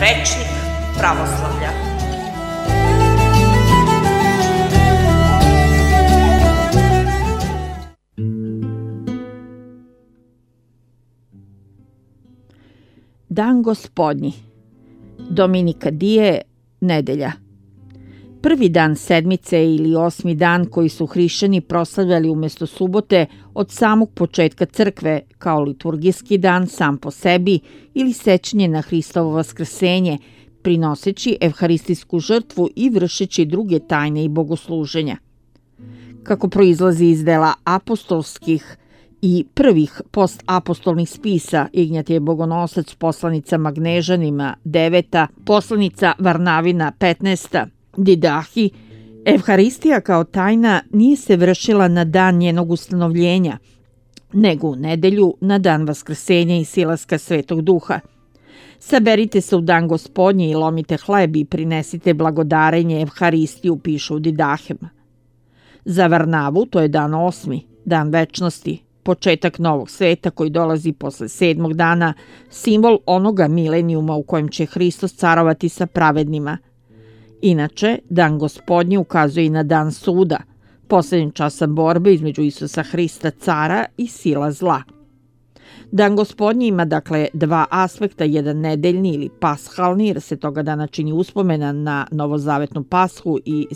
rečnik pravoslavlja. Dan Gospodnji, Dominika Die, nedelja. Prvi dan sedmice ili 8. dan koji su hrišćani proslavljali umjesto subote od samog početka crkve kao liturgijski dan sam po sebi ili sećanje na Hristovo vaskrsenje, prinoseći evharistijsku žrtvu i vršeći druge tajne i bogosluženja. Kako proizlazi iz dela apostolskih i prvih postapostolnih spisa, Ignjatije Bogonosac, poslanica Magnežanima 9, poslanica Varnavina 15, Didahi, evharistija kao tajna nije se vršila na dan njenog ustanovljenja, nego u nedelju na dan vaskrsenja i silaska Svetog Duha. Saberite se u dan Gospodnji i lomite hleb i prinesite blagodarenje evharistiju, pišu u Didahema. Za Varnavu to je dan 8, dan večnosti, početak novog sveta koji dolazi posle 7. dana, simbol onoga milenijuma u kojem će Hristos carovati sa pravednima. Inače, dan Gospodnji ukazuje i na dan suda, posljednjeg časa borbe između Isusa Hrista, cara i sila zla. Dan Gospodnji ima dakle dva aspekta, jedan nedeljni ili pashalni, jer se toga dana čini uspomena na novozavetnu pashu i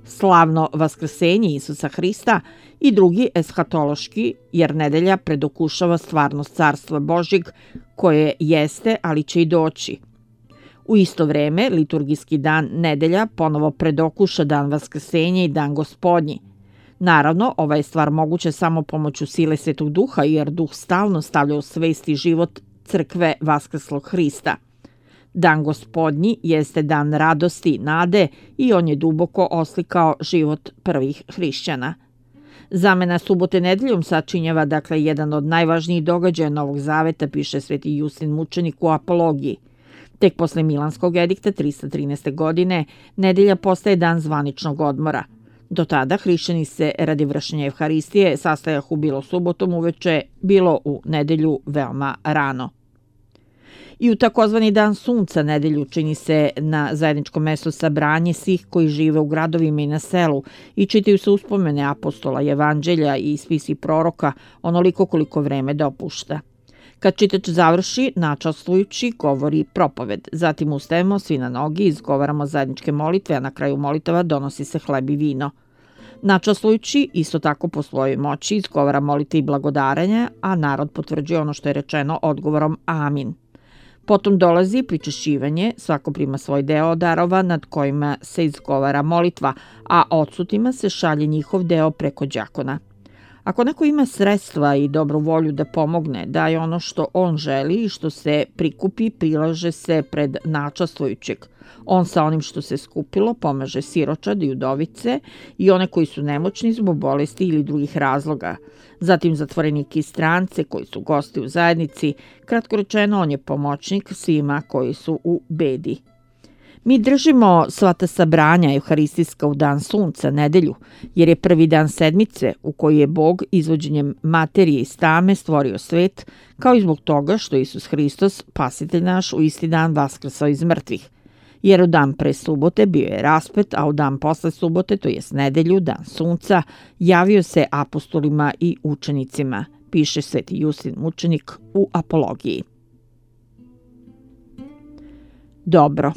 slavno vaskrsenje Isusa Hrista, i drugi eshatološki, jer nedelja predokušava stvarnost carstva Božjeg koje jeste, ali će i doći. U isto vreme, liturgijski dan nedelja ponovo predokuša dan vaskrsenja i dan Gospodnji. Naravno, ova je stvar moguća samo pomoću sile Svetog Duha, jer Duh stalno stavlja u svest i život crkve vaskrslog Hrista. Dan Gospodnji jeste dan radosti i nade i on je duboko oslikao život prvih hrišćana. Zamena subote nedeljom sačinjava dakle jedan od najvažnijih događaja Novog Zaveta, piše Sveti Justin mučenik u Apologiji. Tek posle Milanskog edikta 313. godine nedelja postaje dan zvaničnog odmora. Do tada hrišćani se radi vršenja evharistije sastajahu bilo subotom uveče, bilo u nedelju veoma rano. I u takozvani dan sunca nedelju čini se na zajedničkom mestu sabranje svih koji žive u gradovima i na selu i čitaju se uspomene apostola, evanđelja i spisi proroka onoliko koliko vreme dopušta. Kad čitač završi, načastvujući, govori propoved. Zatim ustajemo svi na nogi, izgovaramo zajedničke molitve, a na kraju molitava donosi se hleb i vino. Načastvujući, isto tako po svojoj moći, izgovara molitve i blagodarenja, a narod potvrđuje ono što je rečeno odgovorom amin. Potom dolazi pričešćivanje, svako prima svoj deo darova nad kojima se izgovara molitva, a odsutima se šalje njihov deo preko đakona. Ako neko ima sredstva i dobru volju da pomogne, daje ono što on želi i što se prikupi, prilaže se pred načastvujućeg. On sa onim što se skupilo pomaže siročad i udovice i one koji su nemoćni zbog bolesti ili drugih razloga. Zatim zatvorenike i strance koji su gosti u zajednici. Kratko rečeno, on je pomoćnik svima koji su u bedi. Mi držimo sva ta sabranja evharistijska u dan sunca, nedelju, jer je prvi dan sedmice u kojoj je Bog izvođenjem materije iz tame stvorio svet, kao i zbog toga što Isus Hristos, spasitelj naš, u isti dan vaskrsao iz mrtvih. Jer u dan pre subote bio je raspet, a u dan posle subote, to jest nedelju, dan sunca, javio se apostolima i učenicima, piše Sveti Justin mučenik u Apologiji. Dobro.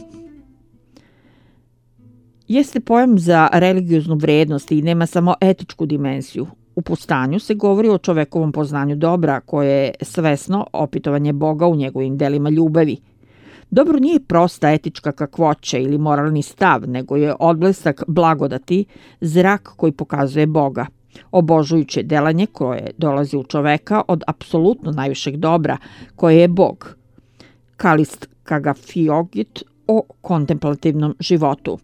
Jeste pojam za religioznu vrednost i nema samo etičku dimenziju. U Pustanju se govori o čovekovom poznanju dobra koje je svesno opitovanje Boga u njegovim delima ljubavi. Dobro nije prosta etička kakvoća ili moralni stav, nego je odblesak blagodati, zrak koji pokazuje Boga. Obožujuće delanje koje dolazi u čoveka od apsolutno najvišeg dobra, koje je Bog. Kalist Kagafiogit o kontemplativnom životu.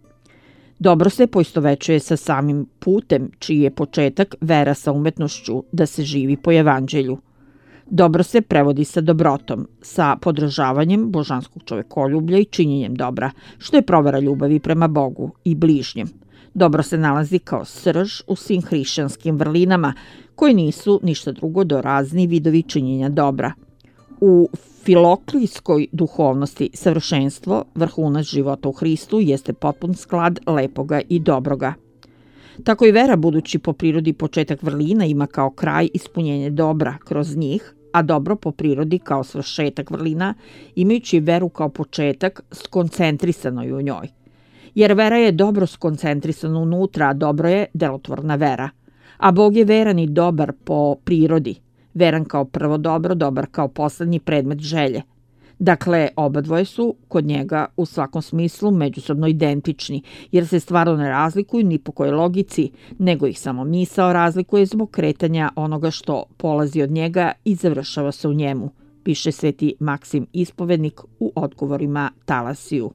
Dobro se poistovećuje sa samim putem, čiji je početak vera sa umetnošću da se živi po evanđelju. Dobro se prevodi sa dobrotom, sa podržavanjem božanskog čovekoljublja i činjenjem dobra, što je provera ljubavi prema Bogu i bližnjem. Dobro se nalazi kao srž u svim hrišćanskim vrlinama, koji nisu ništa drugo do razni vidovi činjenja dobra. U filoklijskoj duhovnosti savršenstvo, vrhunac života u Hristu, jeste potpun sklad lepoga i dobroga. Tako i vera, budući po prirodi početak vrlina, ima kao kraj ispunjenje dobra kroz njih, a dobro po prirodi kao svršetak vrlina, imajući veru kao početak skoncentrisano u njoj. Jer vera je dobro skoncentrisana unutra, a dobro je delotvorna vera. A Bog je veran i dobar po prirodi, veran kao prvo dobro, dobar kao poslednji predmet želje. Dakle, obadvoje su kod njega u svakom smislu međusobno identični, jer se stvarno ne razlikuju ni po kojoj logici, nego ih samo misao razlikuje zbog kretanja onoga što polazi od njega i završava se u njemu, piše sveti Maksim Ispovednik u odgovorima Talasiju.